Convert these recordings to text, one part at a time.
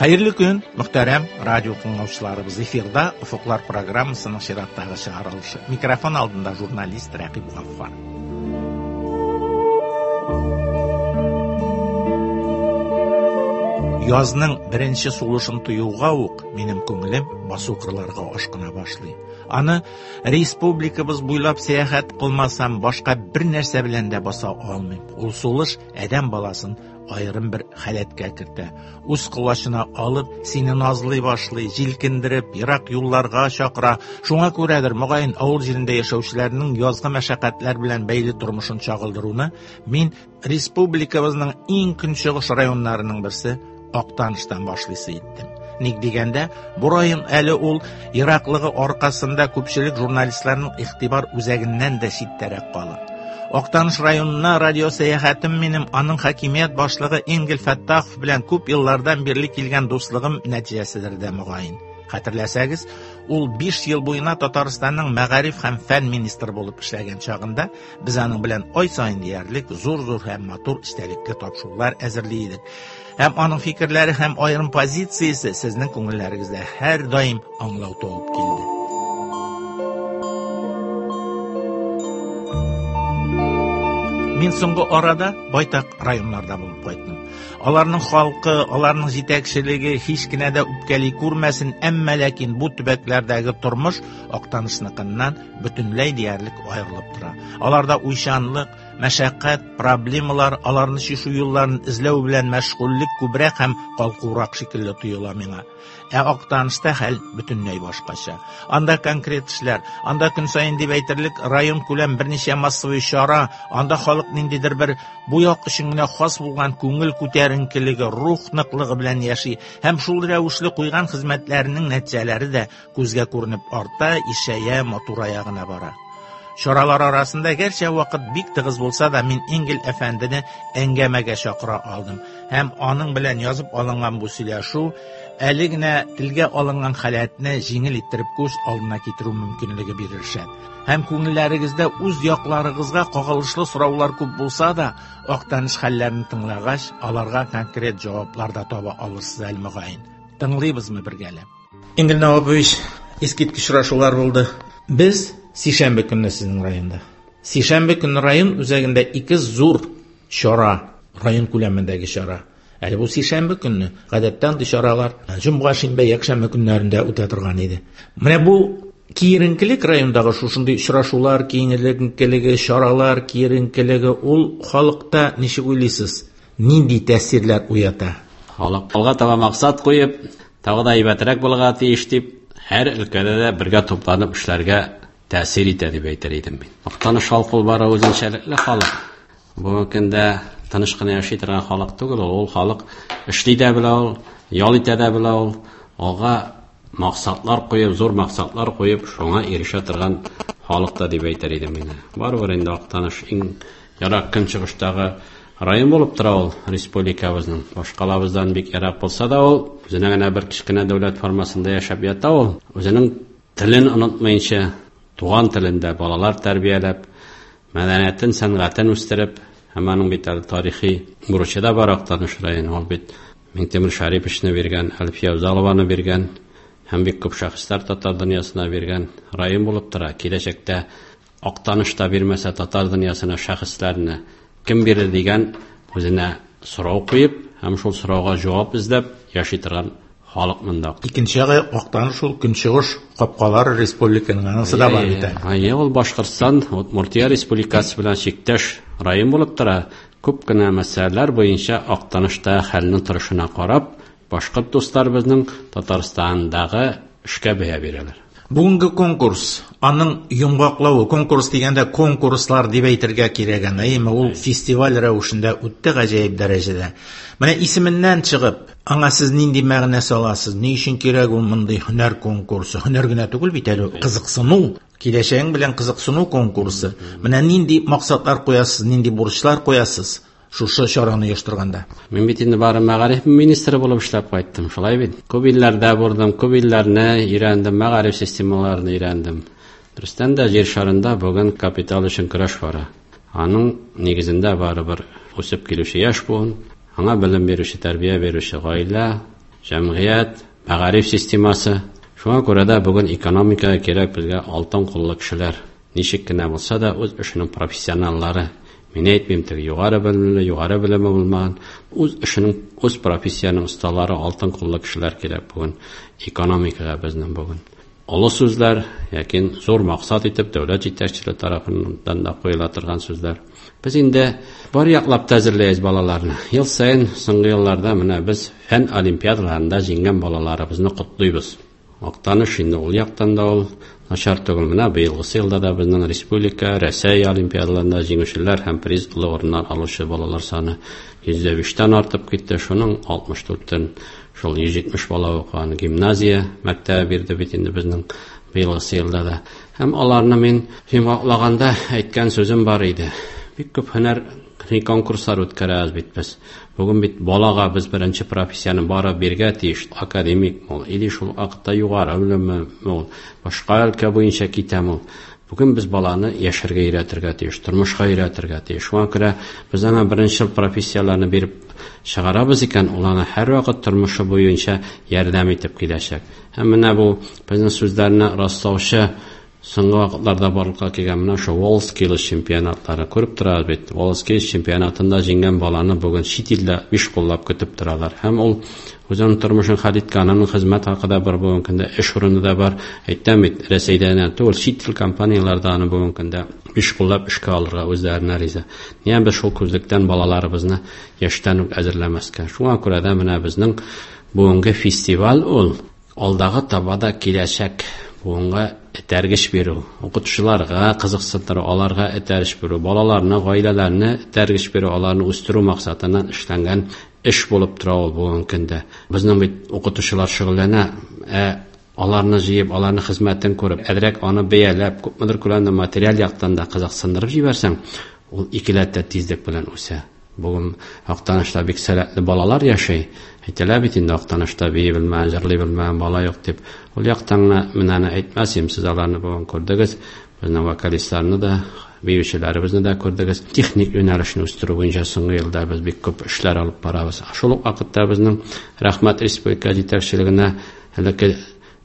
Хәерле көн, мөхтәрәм радио тыңлаучыларыбыз. Эфирда Офыклар программасының чираттагы чыгарылышы. Микрофон алдында журналист Рәкыйп Гаффар. Язның беренче сулышын тоюга ук минем күңелем басу кырларга ашкына башлый. Аны республикабыз буйлап сәяхәт кылмасам, башка бер нәрсә белән дә баса алмыйм. Ул сулыш адәм баласын аерым бер халәткә кертә. Үз колачына алып, сине назлый башлый, җилкендереп, ерак юлларга чакыра. Шуңа күрәдер, мөгаен, авыл җирендә яшәүчеләрнең язгы мәшәкатьләр белән бәйле тормышын чагылдыруны мин республикабызның иң көнчыгыш районнарының берсе Актаныштан башлыйсы иттем. Ник дигәндә, бу район әле ул ераклыгы аркасында күпчелек журналистларның игътибар үзәгеннән дә читтәрәк кала. Актаныш районына радио сәяхәтем минем аның хакимият башлыгы Энгель Фәттахов белән күп еллардан бирле килгән дуслыгым нәтиҗәседер дә мөгаен. Хәтерләсәгез, ул 5 ел буена Татарстанның мәгариф һәм фән министры булып эшләгән чагында без аның белән ай саен диярлек зур-зур һәм матур эчтәлекле тапшырулар әзерли идек. Һәм аның фикерләре һәм аерым позициясе сезнең күңелләрегездә һәрдаим аңлау туып килде. Мин соңгы арада байтак районнарда булып кайттым. Аларның халкы, аларның җитәкчелеге һич кенә дә үпкәли күрмәсен, әмма ләкин бу төбәкләрдәге тормыш Актанышныкыннан бөтенләй диярлек аерылып тора. Аларда уйчанлык, Мәшәкать, проблемалар, аларны чишү юлларын эзләү белән мәшгульлек күбрәк һәм калкурак шикелле тоела миңа. Ә Актанышта хәл бөтенләй башкача. Анда конкрет эшләр, анда көн саен дип әйтерлек район күләм берничә массовый чара, анда халык ниндидер бер бу як өчен генә хас булган күңел күтәренкелеге, рух ныклыгы белән яши һәм шул рәвешле куйган хезмәтләренең нәтиҗәләре дә күзгә күренеп арта, ишәя, матурая гына бара. Чаралар арасында гәрчә вакыт бик тыгыз булса да, мин Энгель әфәндене әңгәмәгә чакыра алдым һәм аның белән язып алынган бу сөйләшү әле генә телгә алынган халәтне җиңел иттереп күз алдына китерү мөмкинлеге бирер шәт. Һәм күңелләрегездә үз якларыгызга кагылышлы сораулар күп булса да, Актаныш хәлләрен тыңлагач, аларга конкрет җаваплар да таба алырсыз әле мөгаен. Тыңлыйбызмы бергәләп? Энгель Навапович, искиткеч очрашулар булды. Без сишәмбе көнне сезнең районда. Сишәмбе көнне район үзәгендә ике зур чара, район күләмендәге чара. Әле бу сишәмбе көнне, гадәттә андый чаралар җомга, шимбә, якшәмбе көннәрендә үтә торган иде. Менә бу киеренкелек райондагы шушындый очрашулар киеренкелеге, чаралар киеренкелеге ул халыкта ничек уйлыйсыз, нинди тәэсирләр уята? Халык алга таба максат куеп, тагы да әйбәтрәк булырга тиеш дип, һәр өлкәдә дә бергә тупланып эшләргә тәэсир итә дип әйтер идем мин. Актаныш халкы ул бары үзенчәлекле халык. Бүгенге көндә тыныч кына яши торган халык түгел ул. Ул халык эшли дә белә ул, ял итә дә белә ул. Алга максатлар куеп, зур максатлар куеп, шуңа ирешә торган халык та дип әйтер идем мин. Барыбер инде Актаныш иң ерак көнчыгыштагы район булып тора ул республикабызның. Башкалабыздан бик ерак булса да ул, үзенә генә бер кечкенә дәүләт формасында яшәп ята ул. Үзенең телен онытмыйча, туган телендә балалар тәрбияләп, мәдәниятен, сәнгатен үстереп, һәм аның бит әле тарихи бурычы да бар Актаныш районы. Ул бит Миңтимер Шәриповичны биргән, Әлфия Авзалованы биргән һәм бик күп шәхесләр татар дөньясына биргән район булып тора. Киләчәктә Актаныш та бирмәсә татар дөньясына шәхесләрне кем бирер дигән үзенә сорау куеп һәм шул сорауга җавап эзләп яши торган халык монда. Икенче ягы Актаныш ул көнчыгыш капкалары республиканың анысы да бар бит әле. Әйе, ул Башкортстан, Удмуртия республикасы белән чиктәш район булып тора. Күп кенә мәсьәләләр буенча Актанышта хәлнең торышына карап, башкорт дусларыбызның Татарстандагы эшкә бәя бирәләр. Бүгенге конкурс, аның йомгаклавы, конкурс дигәндә конкурслар дип әйтергә кирәк аны, әйеме, ул фестиваль рәвешендә үтте гаҗәеп дәрәҗәдә. Менә исеменнән чыгып, аңа сез нинди мәгънә саласыз, ни өчен кирәк ул мондый һөнәр конкурсы? Һөнәр генә түгел бит әле, кызыксыну, киләчәгең белән кызыксыну конкурсы. Менә нинди максатлар куясыз, нинди бурычлар куясыз шушы чараны оештырганда? Мин бит инде бары мәгариф министры булып эшләп кайттым, шулай бит. Күп илләрдә булдым, күп илләрне өйрәндем, мәгариф системаларын өйрәндем. Дөрестән дә җир шарында бүген капитал өчен көрәш бара. Аның нигезендә барыбер үсеп килүче яшь буын, аңа белем бирүче, тәрбия бирүче гаилә Җәмгыять, мәгариф системасы. Шуңа күрә дә бүген экономикага кирәк безгә алтын куллы кешеләр. Ничек кенә булса да үз эшенең профессионаллары. Мин әйтмим теге югары белемле, югары белеме булмаган, үз эшенең, үз профессияның осталары, алтын куллы кешеләр кирәк бүген экономикага безнең бүген. Олы сүзләр, ләкин зур максат итеп дәүләт җитәкчелеге тарафыннан да куела торган сүзләр. Без инде бар яклап та әзерләйбез балаларны. Ел саен соңгы елларда менә без фән олимпиадаларында җиңгән балаларыбызны котлыйбыз. Актаныш инде ул яктан да ул начар түгел. Менә быелгысы елда да безнең республика, Рәсәй олимпиадаларында җиңүчеләр һәм призлы урыннар алучы балалар саны 105-тән артып китте. Шуның 64-тән шул 170 бала укыган гимназия мәктәбе бирде бит инде безнең быелгысы елда да. Һәм аларны мин йомгаклаганда әйткән сүзем бар иде. Бик күп һөнәр конкурслар үткәрәбез бит без. Бүген бит балага без беренче профессияне бары биргә тиеш. Академик ул, или шул вакытта югары белемме ул, башка өлкә буенча китәме ул. Бүген без баланы яшәргә өйрәтергә тиеш, тормышка өйрәтергә тиеш. Шуңа күрә без аңа беренче профессияләрне биреп чыгарабыз икән, ул аны һәрвакыт тормышы буенча ярдәм итеп киләчәк. Һәм менә бу безнең сүзләрне раслаучы соңгы вакытларда барлыкка килгән менә ошо WorldSkills чемпионатлары күреп торабыз бит. WorldSkills чемпионатында җиңгән баланы бүген чит илдә биш куллап көтеп торалар. Һәм ул үзенең тормышын хәл иткән, аның хезмәт хакы да бар бүгенге көндә, эш урыны да бар. Әйтәм бит, Рәсәйдә генә түгел, чит ил компанияләре дә аны бүгенге көндә биш куллап эшкә алырга үзләренә риза. Нигә без шул күзлектән балаларыбызны яшьтән үк әзерләмәскә? Шуңа күрә дә менә безнең бүгенге фестиваль ул алдагы таба да киләчәк буынга этәргеч бирү, укытучыларга кызыксындыру, аларга этәргеч бирү, балаларны, гаиләләрне этәргеч бирү, аларны үстерү максатыннан эшләнгән эш булып тора ул бүгенге көндә. Безнең бит укытучылар шөгыльләнә, ә аларны җыеп, аларның хезмәтен күреп, әзрәк аны бәяләп, күпмедер күләмдә материаль яктан да кызыксындырып җибәрсәң, ул икеләтә тизлек белән үсә. Бүген Актанышта бик сәләтле балалар яши. Әйтәләр бит инде Актанышта бии белмәгән, җырлый белмәгән бала юк дип. Ул яктан гына менә аны әйтмәс идем, сез аларны бүген күрдегез. Безнең вокалистларны да, биючеләребезне дә күрдегез. Техник юнәлешне үстерү буенча соңгы елда без бик күп эшләр алып барабыз. Шул ук вакытта безнең рәхмәт республика җитәкчелегенә элекке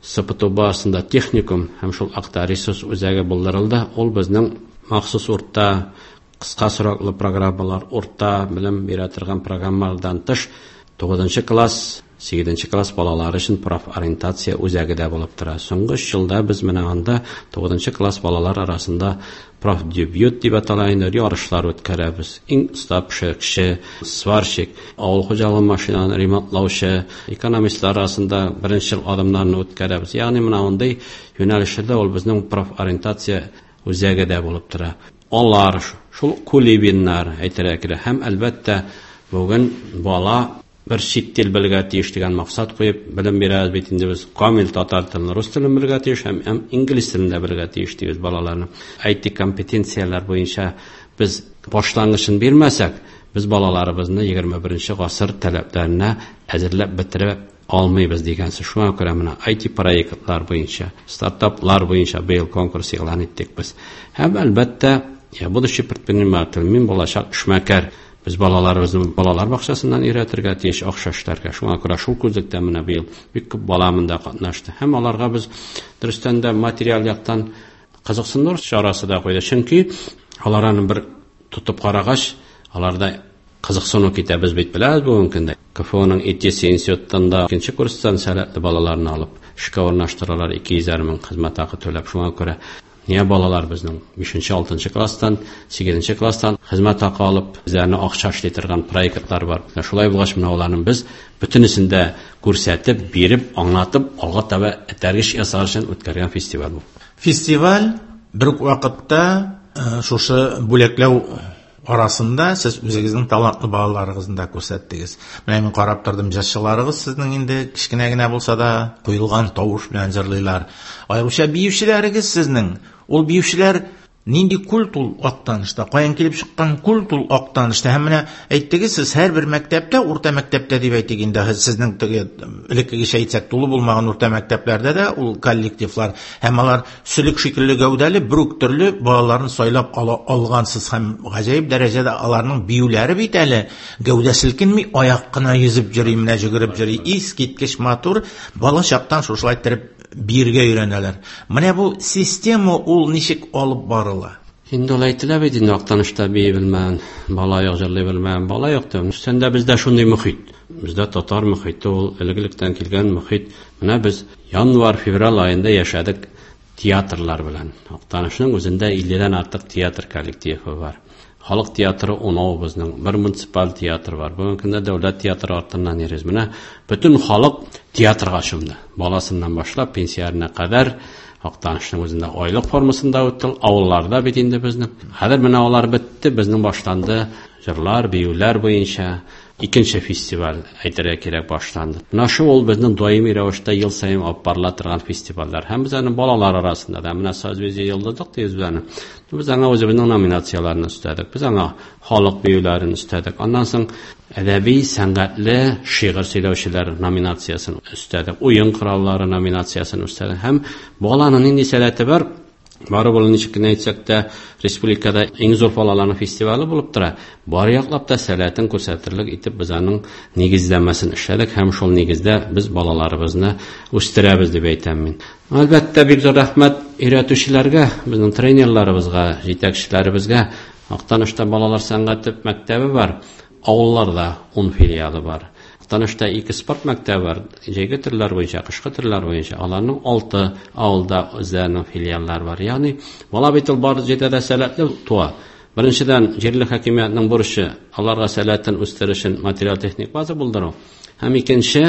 СПТУ базасында техникум һәм шул акта ресурс үзәге булдырылды. Ул безнең махсус урта кыска сроклы программалар, урта белем бирә торган программалардан тыш 9 класс, 8 класс балалары өчен профориентация үзәге дә булып тора. Соңгы 3 елда без менә анда 9 класс балалар арасында профдебют дип атала инде ярышлар үткәрәбез. Иң оста пешекче, сварщик, авыл хуҗалыгы машиналарын ремонтлаучы, экономистлар арасында беренче ел адымнарны үткәрәбез. Ягъни менә мондый юнәлешләрдә ул безнең профориентация үзәге дә булып тора. Алар, шул кулибиннар әйтергә кирәк. Һәм әлбәттә бүген бала бер чит тел белергә тиеш дигән максат куеп белем бирәбез бит инде без. Камил татар телен, рус телен белергә тиеш һәм инглиз телен дә белергә тиеш дибез балаларны. IT компетенцияләр буенча без башлангычын бирмәсәк, без балаларыбызны 21 гасыр таләпләренә әзерләп бетерә алмыйбыз дигән сүз. Шуңа күрә менә IT проектлар буенча, стартаплар буенча быел конкурс игълан иттек без. Һәм әлбәттә, я будущий предприниматель, мин булачак эшмәкәр. Без балаларыбызны балалар бакчасыннан өйрәтергә тиеш акча эшләргә. Шуңа күрә шул күзлектән менә быел бик күп бала монда катнашты. Һәм аларга без дөрестән дә материаль яктан кызыксындыру чарасы да куйды. Чөнки алар аны бер тотып карагач, аларда кызыксыну китә. Без бит беләбез бүгенге көндә КФУның ИТС институтында икенче курстан сәләтле балаларны алып эшкә урнаштыралар, 200 мең хезмәт хакы түләп. Шуңа күрә нигә балалар безнең 5-6 класстан, 8 класстан хезмәт хакы алып, үзләренә акча эшли торган проектлар бар. Шулай булгач, менә аларны без бөтенесен дә күрсәтеп, биреп, аңлатып, алга таба этәргеч ясар өчен үткәргән фестиваль бу. Фестиваль бер үк вакытта шушы бүләкләү арасында сез үзегезнең талантлы балаларыгызны да күрсәттегез. Менә мин карап тордым, җырчыларыгыз сезнең инде кечкенә генә булса да куелган тавыш белән җырлыйлар. Аеруча биючеләрегез сезнең. Ул биючеләр Нинди культ ул Актанышта? Каян килеп чыккан культ ул Актанышта? Һәм менә әйттегез сез, һәрбер мәктәптә, урта мәктәптә дип әйтик инде, сезнең теге элеккегечә әйтсәк, тулы булмаган урта мәктәпләрдә дә ул коллективлар һәм алар сөлек шикелле гәүдәле бер үк төрле балаларны сайлап ала алгансыз һәм гаҗәеп дәрәҗәдә аларның биюләре бит әле гәүдә селкенми, аяк кына йөзеп йөри, менә җөгереп йөри, искиткеч матур, бала чактан шушылай иттереп биергә өйрәнәләр. Менә бу система ул ничек алып барыла? Инде ул әйтелә бит инде, Актанышта бии белмәгән бала юк, җырлый белмәгән бала юк дип. Өстән бездә шундый мохит. Бездә татар мохите ул элек-электән килгән мохит. Менә без январь-февраль аенда яшәдек театрлар белән. Актанышның үзендә 50-дән артык театр коллективы бар. Халык театры унау безнең, бер муниципаль театр бар. Бүгенге көндә дәүләт театры артыннан йөрибез. Менә бөтен халык театрга чумды. Баласыннан башлап пенсионерына кадәр Актанышның үзендә айлык формасында үтте. Авылларда бит инде безнең. Хәзер менә алар бетте, безнең башланды җырлар, биюләр буенча икенче фестиваль әйтергә кирәк башланды. Менә шул ул безнең даими рәвештә ел саен алып барыла торган фестивальләр. Һәм без аны балалар арасында да менә Созвездие Йолдызлык дибез без аны. Без аңа үзебезнең номинацияләрне өстәдек. Без аңа халык биюләрен өстәдек. Аннан соң әдәби, сәнгатьле шигырь сөйләүчеләр номинациясен өстәдек. Уен кораллары номинациясен өстәдек. Һәм баланың нинди сәләте бар? Бары ул ничек кенә әйтсәк тә, республикада иң зур балаларның фестивале булып тора. Бар яклап та сәләтен күрсәтерлек итеп без аның нигезләмәсен эшләдек һәм шул нигездә без балаларыбызны үстерәбез дип әйтәм мин. Әлбәттә, бик зур рәхмәт өйрәтүчеләргә, безнең тренерларыбызга, җитәкчеләребезгә. Актанышта балалар сәнгате мәктәбе бар, авылларда 10 филиалы бар. Актанышта 2 спорт мәктәбе бар, җәйге төрләр буенча, кышкы төрләр буенча. Аларның 6 авылда үзләренең филиаллары бар. Ягъни бала бит ул бар җирдә дә сәләтле туа. Беренчедән, җирле хакимиятнең бурычы аларга сәләтен үстерү өчен материал-техник база булдыру. Һәм икенче,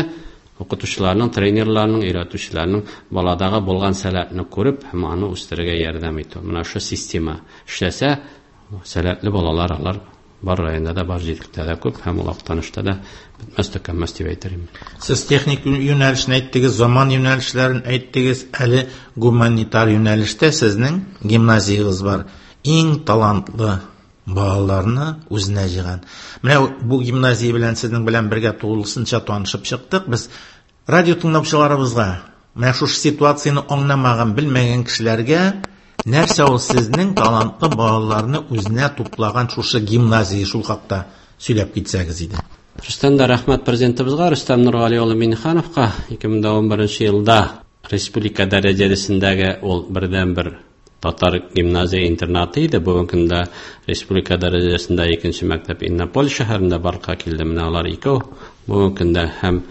укытучыларның, тренерларның, өйрәтүчеләрнең баладагы булган сәләтне күреп һәм аны үстерергә ярдәм итү. Менә шул система эшләсә, сәләтле балалар алар бар районда да, бар җирлектә дә күп һәм ул Актанышта да бетмәс төкәнмәс дип әйтер идем. Сез техник юнәлешен әйттегез, заман юнәлешләрен әйттегез, әле гуманитар юнәлештә сезнең гимназиягез бар. Иң талантлы балаларны үзенә җыйган. Менә бу гимназия белән сезнең белән бергә тулысынча танышып чыктык. Без радио тыңлаучыларыбызга менә шушы ситуацияне аңламаган, белмәгән кешеләргә нәрсә ул сезнең талантлы балаларны үзенә туплаган шушы гимназия, шул хакта сөйләп китсәгез иде. Рөстәм дә рәхмәт президентыбызга, Рөстәм Нургали улы Миннихановка 2011 елда республика дәрәҗәсендәге ул бердәнбер татар гимназия интернаты иде. Бүгенге көндә республика дәрәҗәсендә икенче мәктәп Иннополис шәһәрендә барлыкка килде. Менә алар икәү бүгенге көндә һәм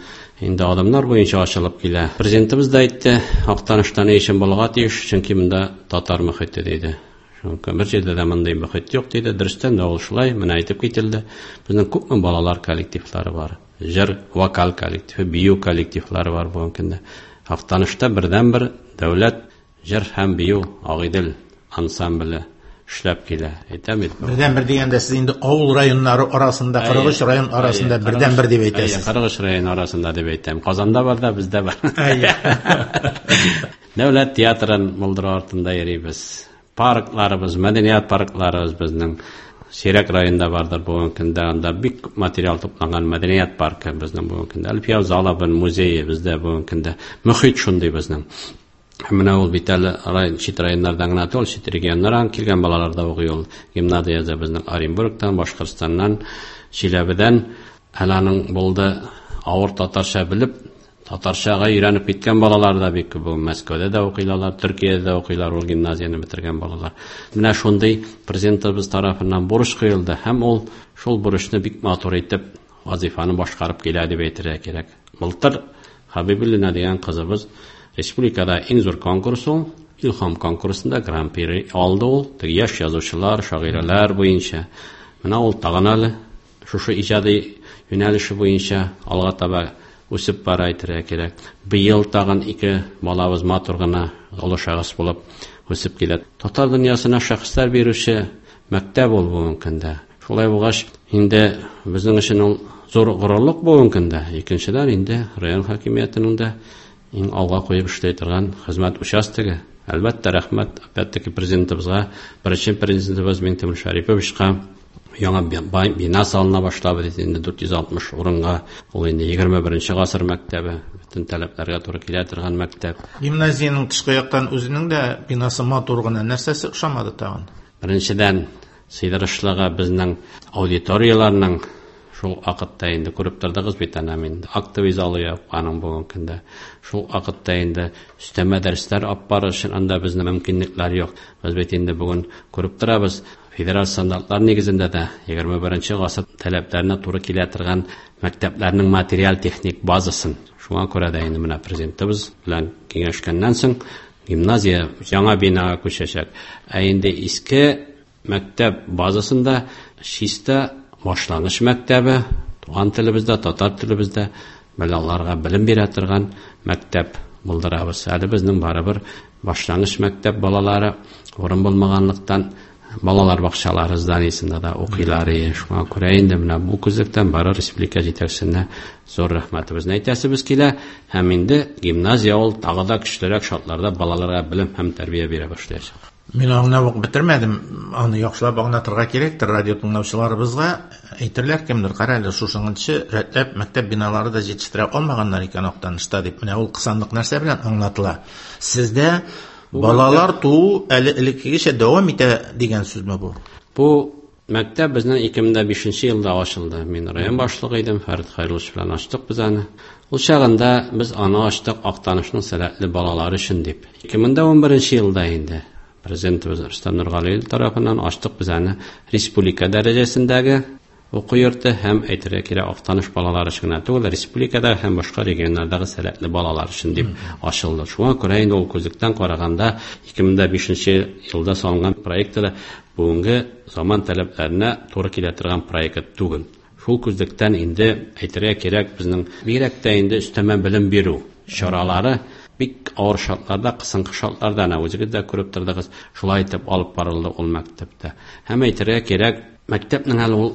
инде адымнар буенча ачылып килә. Президентыбыз да әйтте, Актанышта ни өчен булырга тиеш, чөнки монда татар мөхите диде. Чөнки бер җирдә дә мондый мөхит юк диде. Дөрестән дә ул шулай, менә әйтеп кителде. Безнең күпме балалар коллективлары бар. Җыр, вокал коллективы, бию коллективлары бар бүгенге көндә. Актанышта бердәнбер дәүләт җыр һәм бию Агыйдел ансамбле эшләп килә. Әйтәм бит. Бердәнбер дигәндә сез инде авыл районнары арасында, 43 район арасында бердәнбер дип әйтәсез. 43 район арасында дип әйтәм. Казанда бар да, бездә бар. Дәүләт театрын булдыру артында йөрибез. Паркларыбыз, мәдәният паркларыбыз безнең Сирәк районда бардыр бүгенге көндә. Анда бик күп материал тупланган мәдәният паркы безнең бүгенге көндә. Әлфия Залабын музее бездә бүгенге көндә. Мөхит шундый безнең. Һәм менә ул бит әле район, чит районнардан гына түгел, чит регионнардан килгән балалар да укый ул. Гимназиядә безнең Оренбургтан, Башкортстаннан, Чиләбедән. Әле аның булды авыр татарча белеп, татарчага өйрәнеп киткән балалар да бик күп. Мәскәүдә дә укыйлар, Төркиядә дә укыйлар ул гимназияне бетергән балалар. Менә шундый президентыбыз тарафыннан бурыч куелды һәм ул шул бурычны бик матур итеп вазифаны башкарып килә дип әйтергә кирәк. Былтыр Хабибуллина дигән кызыбыз республикада иң зур конкурс ул, Илһам конкурсында гран-при алды ул, теге яшь язучылар, шагыйрәләр буенча. Менә ул тагын әле шушы иҗади юнәлеше буенча алга таба үсеп бара әйтергә кирәк. Быел тагын ике балабыз матур гына олы шәхес булып үсеп килә. Татар дөньясына шәхесләр бирүче мәктәп ул бүгенге көндә. Шулай булгач, инде безнең өчен ул зур горурлык бүгенге көндә. Икенчедән, инде район хакимиятенең дә иң алга куеп эшли торган хезмәт участогы. Әлбәттә, рәхмәт, опять-таки, президентыбызга, беренче президентыбыз Миңтимер Шәриповичка. Яңа бина салына башлады бит инде 460 урынга. Ул инде 21 гасыр мәктәбе, бөтен таләпләргә туры килә торган мәктәп. Гимназиянең тышкы яктан үзенең дә бинасы матур гына. Нәрсәсе ошамады тагын? Беренчедән, сыйдырышлыгы безнең аудиторияләрнең шул вакытта инде күреп тордыгыз бит әнә мин актовый залы юк аның бүгенге көндә. Шул вакытта инде өстәмә дәресләр алып барыр өчен анда безнең мөмкинлекләр юк. Без бит инде бүген күреп торабыз, федераль стандартлар нигезендә дә 21 гасыр таләпләренә туры килә торган мәктәпләрнең материаль-техник базасын. Шуңа күрә дә инде менә президентыбыз белән киңәшкәннән соң гимназия яңа бинага күчәчәк. Ә инде иске мәктәп базасында чиста башлангыч мәктәбе, туган телебездә, татар телебездә балаларга белем бирә торган мәктәп булдырабыз. Әле безнең барыбер башлангыч мәктәп балалары урын булмаганлыктан балалар бакчалары зданиесендә дә укыйлар. Шуңа күрә инде менә бу күзлектән бары республика җитәкчесенә зур рәхмәтебезне әйтәсебез килә. Һәм инде гимназия ул тагы да көчлерәк шартларда балаларга белем һәм тәрбия бирә башлаячак. Мин аңлап ук бетермәдем, аны яхшылап аңлатырга кирәктер радио тыңлаучыларыбызга. Әйтерләр кемдер, кара әле, шушыңынчы рәтләп мәктәп биналары да җитештерә алмаганнар икән Актанышта дип. Менә ул кысанлык нәрсә белән аңлатыла? Сездә балалар туу әле элеккегечә дәвам итә дигән сүзме бу? Бу мәктәп безнең 2005 елда ачылды. Мин район башлыгы идем, Фәрит Хәйруллович белән ачтык без аны. Ул чагында без аны ачтык Актанышның сәләтле балалары өчен дип. 2011 елда инде президентыбыз Рөстәм Нургалиев тарафыннан ачтык без аны республика дәрәҗәсендәге уку йорты һәм әйтергә кирәк Актаныш балалары өчен генә түгел, республикада һәм башка регионнардагы сәләтле балалар өчен дип ачылды. Шуңа күрә инде ул күзлектән караганда 2005 елда салынган проект та бүгенге заман таләпләренә туры килә торган проект түгел. Шул күзлектән инде әйтергә кирәк, безнең бигрәк тә инде өстәмә белем бирү чаралары бик авыр шартларда, кысынкы шартларда, әнә үзегез дә күреп тордыгыз, шулай итеп алып барылды ул мәктәптә. Һәм әйтергә кирәк, мәктәпнең әле ул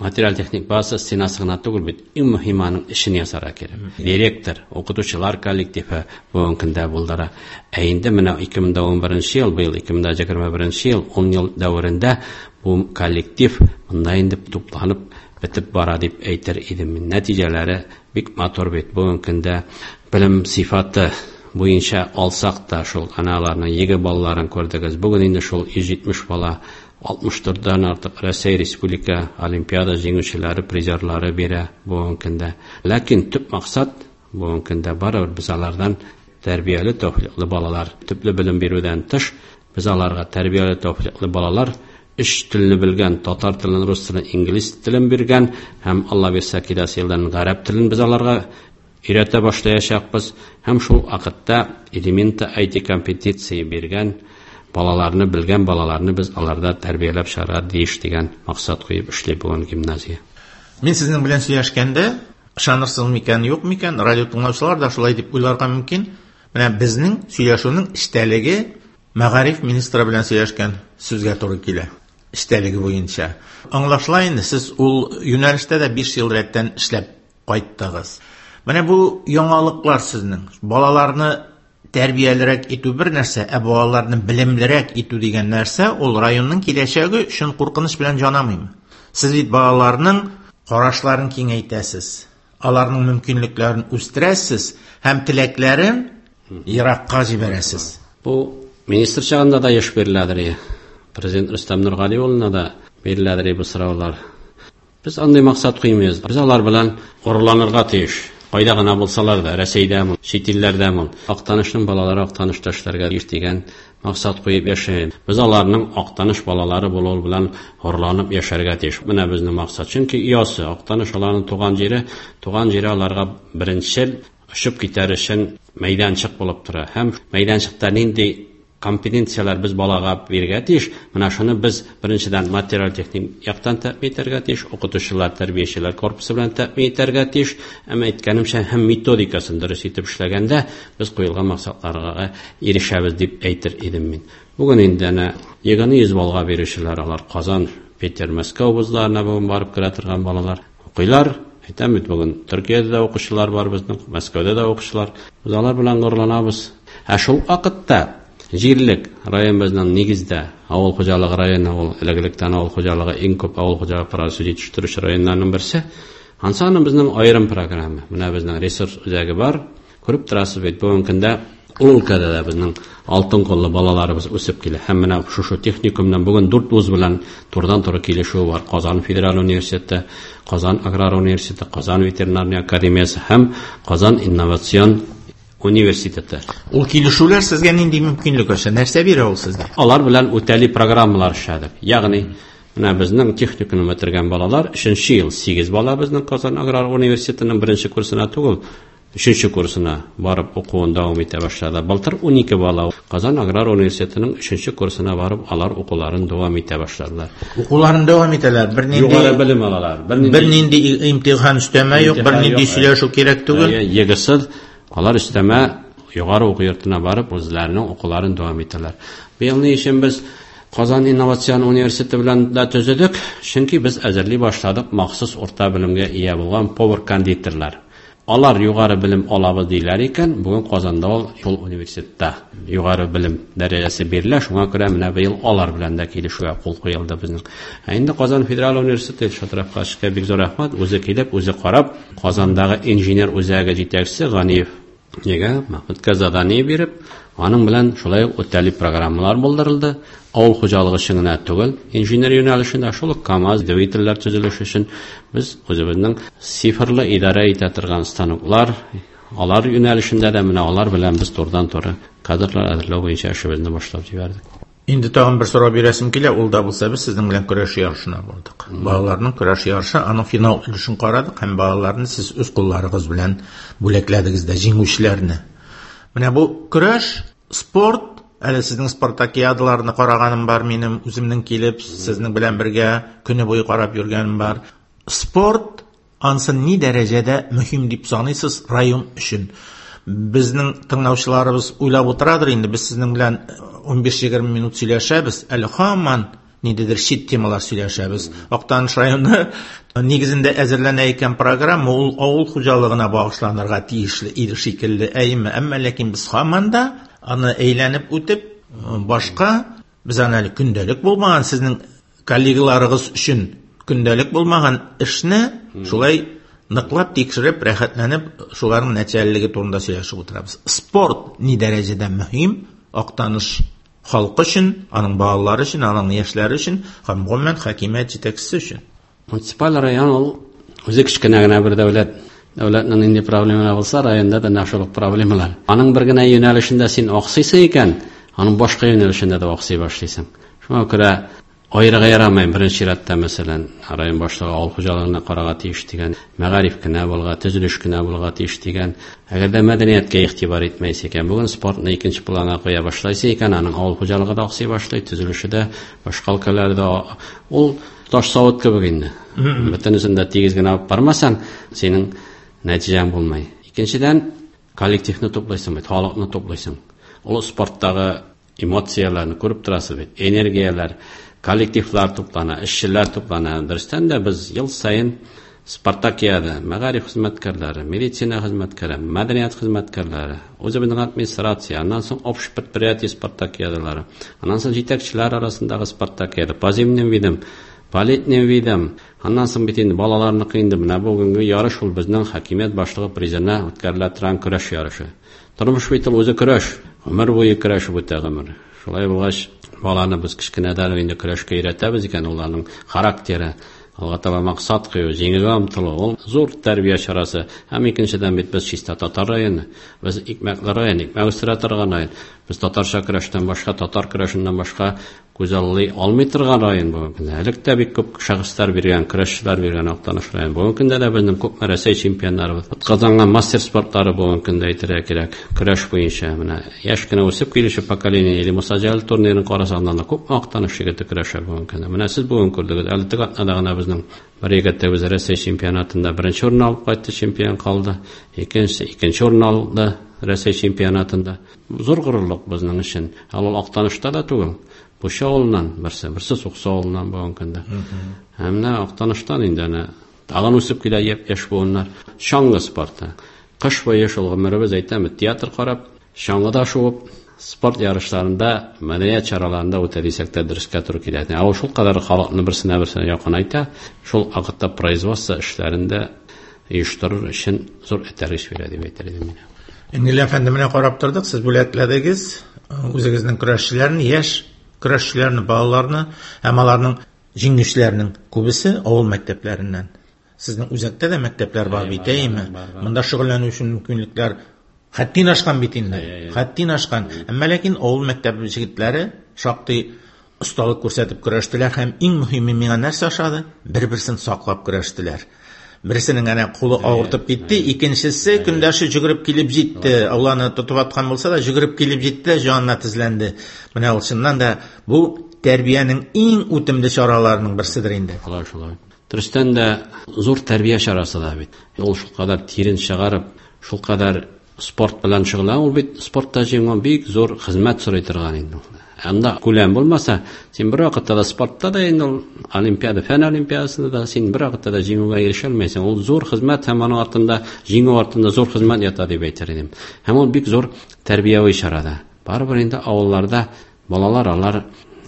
материаль-техник базасы стенасы гына түгел бит, иң мөһиме аның эшен ясарга кирәк. Директор, укытучылар коллективы бүгенге көндә булдыра. Ә инде менә 2011 ел, быел 2021 ел, 10 ел дәверендә бу коллектив монда инде тупланып бетеп бара дип әйтер идем. Нәтиҗәләре бик матур бит. Бүгенге көндә белем сыйфаты буенча алсак та шул аналарның ЕГЭ балларын күрдегез. Бүген инде шул 170 бала 64-дән артык Россия Республика Олимпиада җиңүчеләре, призерлары бирә бүгенге көндә. Ләкин төп максат бүгенге көндә барыбер без алардан тәрбияле, тәүфикле балалар, төпле белем бирүдән тыш, без аларга тәрбияле, тәүфикле балалар, өч телне белгән, татар телен, рус телен, инглиз телен биргән һәм Алла бирсә киләсе елдан гарәп телен без аларга өйрәтә башлаячакбыз һәм шул вакытта элементы IT компетенция биргән балаларны, белгән балаларны без аларда тәрбияләп чыгарга тиеш дигән максат куеп эшли бүген гимназия. Мин сезнең белән сөйләшкәндә, ышанырсыз микән, юк микән, радио тыңлаучылар да шулай дип уйларга мөмкин. Менә безнең сөйләшүнең эчтәлеге мәгариф министры белән сөйләшкән сүзгә туры килә. Эчтәлеге буенча. Аңлашыла инде, сез ул юнәлештә дә 5 ел рәттән эшләп кайттыгыз. Менә бу яңалыклар сезнең. Балаларны тәрбиялерәк итү бер нәрсә, ә балаларны белемлерәк итү дигән нәрсә ул районның киләчәге өчен куркыныч белән җанамыймы? Сез бит балаларның карашларын киңәйтәсез, аларның мөмкинлекләрен үстерәсез һәм теләкләрен еракка җибәрәсез. Бу министр чагында да еш биреләдер. Президент Рөстәм Нургали улына да биреләдер бу сораулар. Без андый максат куймыйбыз. Без алар белән горурланырга тиеш. Кайда гына булсалар да, Рәсәйдәме, чит илләрдәме, Актанышның балалары Актанышта эшләргә тиеш дигән максат куеп яшәйбез. Без аларның Актаныш балалары булуы белән горурланып яшәргә тиеш. Менә безнең максат. Чөнки оясы Актаныш аларның туган җире, туган җире аларга беренчел очып китәр өчен мәйданчык булып тора. Һәм мәйданчыкта нинди компетенцияләр без балага бирергә тиеш, менә шуны без беренчедән материаль-техник яктан тәэмин итәргә тиеш, укытучылар, тәрбиячеләр корпусы белән тәэмин итәргә тиеш, әмма әйткәнемчә һәм методикасын дөрес итеп эшләгәндә без куелган максатларга ирешәбез дип әйтер идем мин. Бүген инде әнә ЕГЭны 100 баллга бирүчеләр, алар Казан, Питер, Мәскәү вузларына бүген барып керә торган балалар укыйлар. Әйтәм бит, бүген Төркиядә дә укучылар бар безнең, Мәскәүдә дә укучылар. Без алар белән горурланабыз. Ә шул вакытта җирлек район безнең нигездә авыл хуҗалыгы районы, ул элек-электән авыл хуҗалыгы иң күп авыл хуҗалыгы продукция җитештерүче районнарның берсе. Ансы аның безнең аерым программа. Менә безнең ресурс үзәге бар. Күреп торасыз бит, бүгенге көндә ул өлкәдә дә безнең алтын куллы балаларыбыз үсеп килә. Һәм менә шушы техникумнан бүген 4 вуз белән турыдан-туры килешү бар. Казан федераль университеты, Казан аграр университеты, Казан ветеринарный академиясе һәм Казан инновацион университеты. Ул килешүләр сезгә нинди мөмкинлек ача? Нәрсә бирә ул сезгә? Алар белән үтәли программалар эшләдек. Ягъни менә безнең техникумны бетергән балалар 3 ел 8 бала безнең Казан аграр университетының беренче курсына түгел, 3 курсына барып укуын дәвам итә башлады. Былтыр 12 бала Казан аграр университетының 3 курсына барып, алар укуларын дәвам итә башладылар. Укуларын дәвам итәләр. Бернинди югары белем алалар. Бернинди имтихан өстәмә юк, бернинди сөйләшү кирәк түгел. ЕГЭсыз алар өстәмә югары уку йортына барып, үзләренең укуларын дәвам итәләр. Быел ни өчен без Казан инновацион университеты белән дә төзедек? Чөнки без әзерли башладык махсус урта белемгә ия булган повар-кондитерлар. Алар югары белем алабыз диләр икән, бүген Казанда ул шул университетта югары белем дәрәҗәсе бирелә, шуңа күрә менә быел алар белән дә килешүгә кул куелды безнең. Ә инде Казан федераль университеты Илшат Рафкатовичка бик зур рәхмәт, үзе килеп, үзе карап, Казандагы инженер үзәге җитәкчесе Ганиев нигә Мәхмүткә задание биреп, аның белән шулай ук үтәли программалар булдырылды. Авыл хуҗалыгы өчен генә түгел, инженер юнәлешендә шул ук КАМАЗ двигательләр төзелеше өчен без үзебезнең цифрлы идарә итә торган станоклар, алар юнәлешендә дә менә алар белән без турыдан-туры кадрлар әзерләү буенча эшебезне башлап җибәрдек. Инде тагын бер сорау бирәсем килә, ул да булса без сезнең белән көрәш ярышына бардык. Балаларның көрәш ярышы, аның финал өлешен карадык һәм балаларны сез үз кулларыгыз белән бүләкләдегез дә, җиңүчеләрне. Менә бу көрәш, спорт, әле сезнең спартакиадаларны караганым бар минем, үземнең килеп, сезнең белән бергә көне буе карап йөргәнем бар. Спорт ансын ни дәрәҗәдә мөһим дип саныйсыз район өчен? Безнең тыңлаучыларыбыз уйлап утырадыр инде, без сезнең белән 15-20 минут сөйләшәбез, әле һаман ниндидер чит темалар сөйләшәбез. Актаныш районы нигезендә әзерләнә икән программа, ул авыл хуҗалыгына багышланырга тиешле иде шикелле, әйеме? Әмма ләкин без һаман да аны әйләнеп үтеп, башка без аны әле көндәлек булмаган сезнең коллегаларыгыз өчен көндәлек булмаган эшне шулай ныклап тикшереп, рәхәтләнеп, шуларның нәтиҗәлелеге турында сөйләшеп утырабыз. Спорт ни дәрәҗәдә мөһим Актаныш халкы өчен, аның балалары өчен, аның яшьләре өчен һәм гомумән хакимият җитәкчесе өчен? Муниципаль район ул үзе кечкенә генә бер дәүләт. Дәүләтнең нинди проблемалары булса, районда да нәкъ шул ук проблемалар. Аның бер генә юнәлешендә син аксыйсың икән, аның башка юнәлешендә дә аксый башлыйсың. Шуңа күрә аерырга ярамый. Беренче чиратта, мәсәлән, район башлыгы авыл хуҗалыгына карарга тиеш дигән, мәгариф кенә булырга, төзелеш кенә булырга тиеш дигән. Әгәр дә мәдәнияткә игътибар итмәйсең икән, бүген спортны икенче планга куя башлайсың икән, аның авыл хуҗалыгы да аксый башлый, төзелеше дә, башка өлкәләре дә. Ул таш савыт кебек инде. Бөтенесен дә тигез генә алып бармасаң, синең нәтиҗәң булмый. Икенчедән, коллективны туплыйсың бит, халыкны туплыйсың. Ул спорттагы эмоцияләрне күреп торасыз бит, энергияләр, коллективлар туплана, эшчеләр туплана. Дөрестән дә без ел саен Спартакиада, мәгариф хезмәткәрләре, медицина хезмәткәре, мәдәният хезмәткәрләре, үзебезнең администрация, аннан соң общий предприятие спартакиадалары, аннан соң җитәкчеләр арасындагы спартакиада, по зимним видам, по летним видам, аннан соң бит инде балаларныкы инде менә бүгенге ярыш ул безнең хакимият башлыгы призына үткәрелә торган көрәш ярышы. Тормыш бит ул үзе көрәш, гомер буе көрәшеп үтә гомер. Шулай булгач, баланы без кечкенәдән инде көрәшкә өйрәтәбез икән, ул аның характеры, алга таба максат кую, җиңүгә омтылу, ул зур тәрбия чарасы. Һәм икенчедән бит без чиста татар районы, без икмәкле район, икмәк үстерә торган район. Без татарча көрәштән башка, татар көрәшеннән башка күзаллый алмый торган район бүгенге көндә. Элек тә бик күп шәхесләр биргән, көрәшчеләр биргән Актаныш районы. Бүгенге көндә дә безнең күп Рәсәй чемпионнарыбыз, атказанган мастер спортлары бүгенге көндә әйтергә кирәк. Көрәш буенча менә яшь кенә үсеп килүче поколение или Муса Җәлил турнирын карасаң да күп Актаныш егете көрәшә бүгенге көндә. Менә сез бүген күрдегез, әле теге атнада гына безнең бер егетебез Рәсәй чемпионатында беренче урын алып кайтты, чемпион калды. Икенче, икенче урын алды Рәсәй чемпионатында. Зур горурлык безнең өчен. Ә ул Актанышта да түгел. Пуша авылыннан берсе, берсе Сукса авылыннан бүгенге көндә. Һәм менә Актаныштан инде әнә Тагын үсеп килә яшь буыннар. Чаңгы спорты. Кыш буе шул гомеребез әйтәме, театр карап, чаңгыда шуып, спорт ярышларында, мәдәният чараларында үтә дисәк тә дөрескә туры килә. Ә ул шулкадәр халыкны берсенә берсенә якынайта, шул вакытта производство эшләрен дә оештырыр өчен зур этәргеч бирә дип әйтер идем мин. Энгель әфәнде, менә карап тордык, сез бүләкләдегез үзегезнең көрәшчеләрне, яшь көрәшчеләрне, балаларны һәм аларның җиңүчеләрнең күбесе авыл мәктәпләреннән. Сезнең үзәктә дә мәктәпләр бар бит, әйеме? Монда шөгыльләнү өчен мөмкинлекләр хәттин ашкан бит инде. Хәттин ашкан. Әмма ләкин авыл мәктәбе җегетләре шактый осталык күрсәтеп көрәштеләр һәм иң мөһиме миңа нәрсә ошады? Бер-берсен саклап көрәштеләр. Берсенең әнә кулы авыртып китте, икенчесе көндәше жүгереп килеп җитте. Алланы тотып аткан булса да, жүгереп килеп җитте, җанына тезләнде. Менә ул чыннан да бу тәрбиянең иң үтемле чараларының берседер инде. Шулай, шулай. Дөрестән дә зур тәрбия чарасы да бит. Ул шулкадәр тирен чыгарып, шулкадәр спорт белән шөгыльләнә, ул бит спортта җиңү бик зур хезмәт сорый торган инде. Анда күләм булмаса, син бер вакытта да спортта да инде ул олимпиада, фән олимпиадасында да син бер вакытта да җиңүгә ирешә алмыйсың. Ул зур хезмәт һәм аның артында, җиңү артында зур хезмәт ята дип әйтер идем. Һәм ул бик зур тәрбияви чара да. Барыбер инде авылларда балалар алар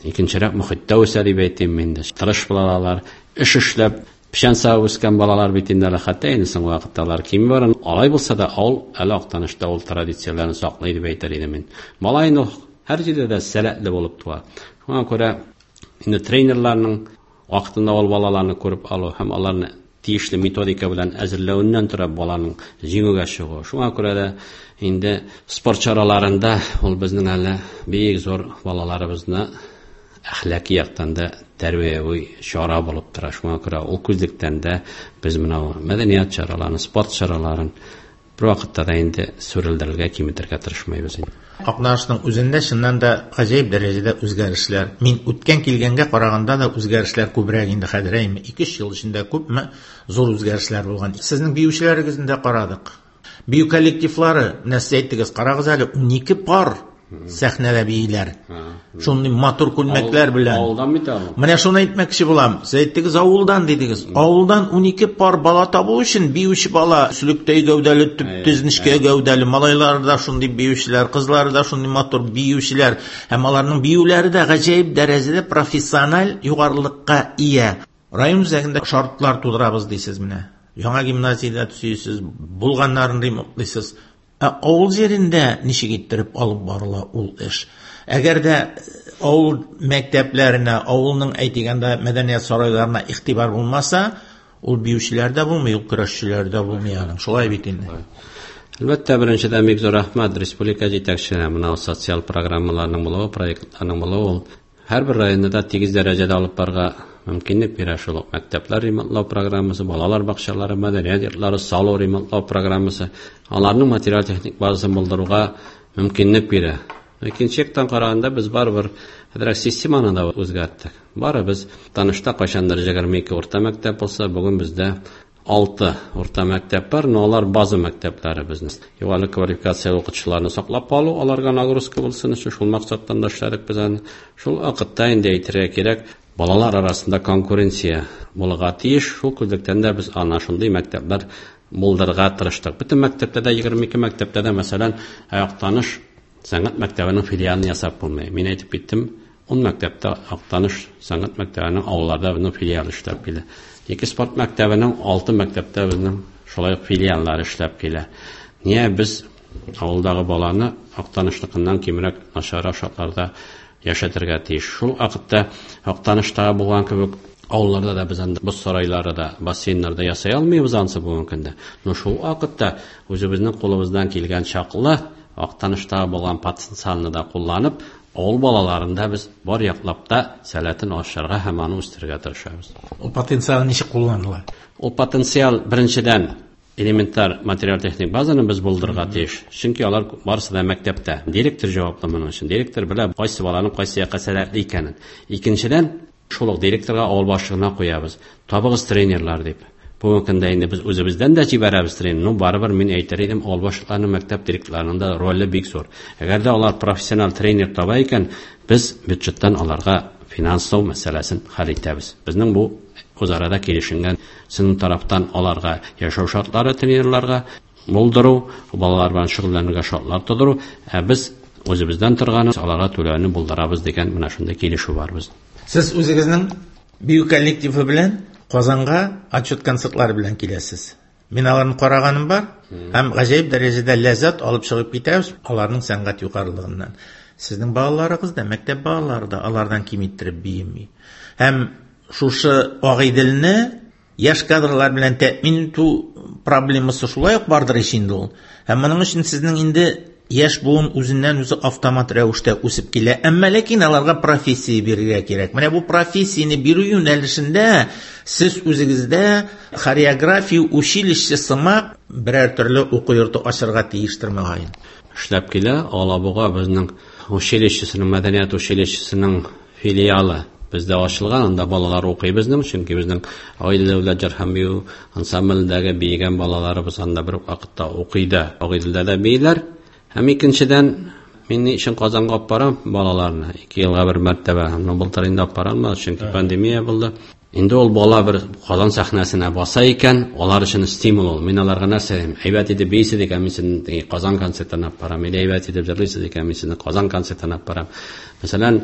икенчерәк мохиттә үсә дип әйтим инде. Тырыш булалар, эш эшләп, печән савып үскән балалар бит инде әле хәтта инде соңгы вакытта алар кими бара. Алай булса да авыл әле Актанышта ул традицияләрне саклый дип әйтер идем мин. Бала инде һәр җирдә дә сәләтле булып туа. Шуңа күрә инде тренерларның вакытында ул балаларны күреп алу һәм аларны тиешле методика белән әзерләвеннән тора баланың җиңүгә чыгуы. Шуңа күрә дә инде спорт чараларында ул безнең әле бик зур балаларыбызны әхлаки яктан да тәрбияви чара булып тора. Шуңа күрә ул күзлектән дә без менә мәдәният чараларын, спорт чараларын бер вакытта да инде сүрелдерергә, киметергә тырышмыйбыз инде. Актанышның үзендә чыннан да гаҗәеп дәрәҗәдә үзгәрешләр. Мин үткән килгәнгә караганда да үзгәрешләр күбрәк инде хәзер, әйме? 2-3 ел эчендә күпме зур үзгәрешләр булган. Сезнең биючеләрегезне дә карадык. Бию коллективлары, менә сез әйттегез, карагыз әле, 12 пар сәхнәдә бииләр. Шундый матур күлмәкләр белән. Авылдан бит ул. Менә шуны әйтмәкче булам. Сез әйттегез, авылдан дидегез. Авылдан 12 пар бала табу өчен биюче бала, сөлектәй гәүдәле, төп-төз нечкә гәүдәле, малайлар да шундый биючеләр, кызлар да шундый матур биючеләр. Һәм аларның биюләре дә гаҗәеп дәрәҗәдә профессиональ югарылыкка ия. Район үзәгендә шартлар тудырабыз дисез менә. Яңа гимназиядә төзисез, булганнарын ремонтлыйсыз. Ә авыл җирендә ничек иттереп алып барыла ул эш? Әгәр дә авыл мәктәпләренә, авылның әйтегәндә мәдәният сарайларына игътибар булмаса, ул биючеләр дә булмый, ул көрәшчеләр дә булмый аның. Шулай бит инде. Әлбәттә, беренчедән бик зур рәхмәт республика җитәкчеләренә. Менә социаль программаларның булуы, проектларның булуы ул һәрбер районда да тигез дәрәҗәдә алып барырга мөмкинлек бирә. Шул ук мәктәпләр ремонтлау программасы, балалар бакчалары, мәдәният йортлары салу ремонтлау программасы, аларның материаль-техник базасын булдыруга мөмкинлек бирә. Икенче яктан караганда без барыбер хәзерәк системаны да үзгәрттек. Бары без Танышта кайчандыр 22 урта мәктәп булса, бүген бездә 6 урта мәктәп бар, но алар база мәктәпләре безнең. Югары квалификацияле укытучыларны саклап калу, аларга нагрузка булсын өчен шул максаттан да эшләдек без аны. Шул вакытта инде әйтергә кирәк, балалар арасында конкуренция булырга тиеш. Шул күзлектән дә без ана шундый мәктәпләр булдырырга тырыштык. Бөтен мәктәптә дә, 22 мәктәптә дә, мәсәлән, Актаныш сәнгать мәктәбенең филиалын ясап булмый. Мин әйтеп киттем, 10 мәктәптә Актаныш сәнгать мәктәбенең авылларда безнең филиал эшләп килә. 2 спорт мәктәбенең 6 мәктәптә безнең шулай ук филиаллар эшләп килә. Ния без авылдагы баланы Актанышныкыннан кимрәк начаррак шартларда яшәтергә тиеш? Шул вакытта Актаныштагы булган кебек авылларда да без анда боз сарайлары да, бассейннар да ясай алмыйбыз ансы бүгенге көндә. Но шул вакытта үзебезнең кулыбыздан килгән чаклы Актаныштагы булган потенциалны да кулланып, авыл балаларында без бар яклап та сәләтен ашырырга һәм аны үстерергә тырышабыз. Ул потенциал ничек кулланыла? Ул потенциал беренчедән элементар материаль-техник базаны без булдырырга тиеш. Чөнки алар барысы да мәктәптә. Директор җаваплы моның өчен. Директор белә кайсы баланың кайсы якка сәләтле икәнен. Икенчедән, шул ук директорга авыл башлыгына куябыз. Табыгыз тренерлар дип. Бүгенге көндә инде без үзебездән дә җибәрәбез тренер. Ну, барыбер мин әйтер идем, авыл башлыкларының, мәктәп директорларының да роле бик зур. Әгәр дә алар профессиональ тренер таба икән, без бюджеттан аларга финанслау мәсьәләсен хәл итәбез. Безнең бу Үзара да килешенгән. Сезнең тарафтан аларга яшәү шартлары тренерларга булдыру, балалар белән шөгыльләнергә шартлар тудыру, ә без үзебездән торганы аларга түләүне булдырабыз дигән менә шундый килешү бар безнең. Сез үзегезнең бию коллективы белән Казанга отчет концертлары белән киләсез. Мин аларны караганым бар һәм гаҗәеп дәрәҗәдә ләззәт алып чыгып китәбез аларның сәнгать югарылыгыннан. Сезнең балаларыгыз да, мәктәп балалары да алардан ким иттереп биеми. Һәм шушы Агыйделне яшь кадрлар белән тәэмин итү проблемасы шулай ук бардыр ич инде ул. Һәм моның өчен сезнең инде яшь буын үзеннән үзе автомат рәвештә үсеп килә. Әмма ләкин аларга профессия бирергә кирәк. Менә бу профессияне бирү юнәлешендә сез үзегездә хореография училище сымак берәр төрле уку йорты ачырга тиештер мөгаен. Эшләп килә Алабуга безнең училищесының, мәдәният училищесының филиалы бездә ачылган, анда балалар укый безнең, чөнки безнең Агыйдел дәүләт җыр һәм бию ансамблендәге биегән балаларыбыз анда бер үк вакытта укый да, Агыйделдә дә бииләр. Һәм икенчедән, мин ни өчен Казанга алып барам балаларны? 2 елга бер мәртәбә. Һәм былтыр инде алып бара алмадык, чөнки пандемия булды. Инде ул бала бер Казан сәхнәсенә баса икән, алар өчен стимул ул. Мин аларга нәрсә дим? Әйбәт итеп бийсез икән, мин сезне Казан концертына алып барам. Или әйбәт итеп җырлыйсыз икән, мин сезне Казан концертына алып барам. Мәсәлән,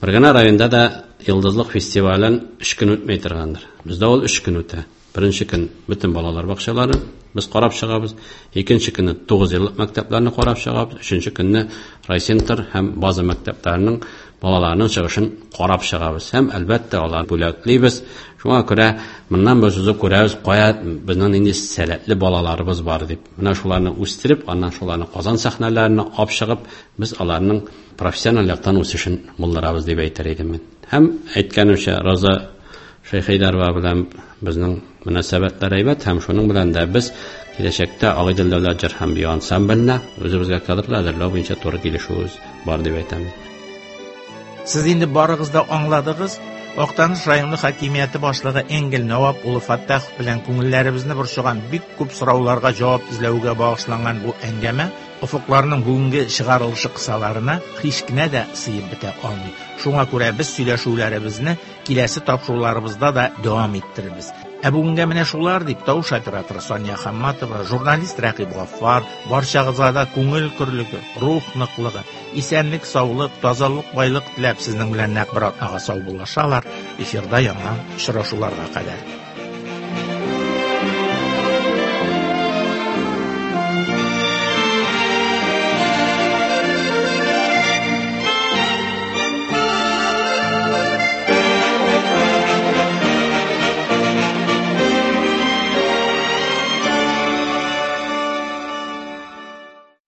бер генә районда да Йолдызлык фестивален 3 көн үтмәй торгандыр. Бездә ул 3 көн үтә. Беренче көн бөтен балалар бакчалары без карап чыгабыз. Икенче көнне 9 еллык мәктәпләрне карап чыгабыз. Өченче көнне райцентр һәм база мәктәпләренең балаларының чыгышын карап чыгабыз. Һәм әлбәттә алар бүләклибез. Шуңа күрә моннан без үзе күрәбез, кая безнең нинди сәләтле балаларыбыз бар дип. Менә шуларны үстереп, аннан шуларны Казан сәхнәләренә алып чыгып, без аларның профессиональ яктан үсешен булдырабыз дип әйтер идем мин. Һәм әйткәнемчә, Роза Шәйхәйдәрова белән безнең мөнәсәбәтләр әйбәт, һәм шуның белән дә без киләчәктә Агыйдел дәүләт җыр һәм бию ансамбленә үзебезгә кадрлар әзерләү буенча туры килешүебез бар дип әйтәм. Сез инде барыгыз да аңладыгыз, Актаныш районы хакимияте башлыгы Энгель Навап улы Фаттахов белән күңелләребезне борчыган бик күп сорауларга җавап эзләүгә багышланган бу әңгәмә офыкларның бүгенге чыгарылышы кысаларына һич кенә дә сыеп бетә алмый. Шуңа күрә без сөйләшүләребезне киләсе тапшыруларыбызда да дәвам иттерербез. Ә бүгенгә менә шулар дип тавыш операторы Сания Хамматова, журналист Рәкыйп Гаффар, барчагызга да күңел көрлеге, рух ныклыгы, исәнлек, саулык, тазалык, байлык теләп сезнең белән нәкъ бер атнага саубуллашалар. Эфирда яңа очрашуларга кадәр.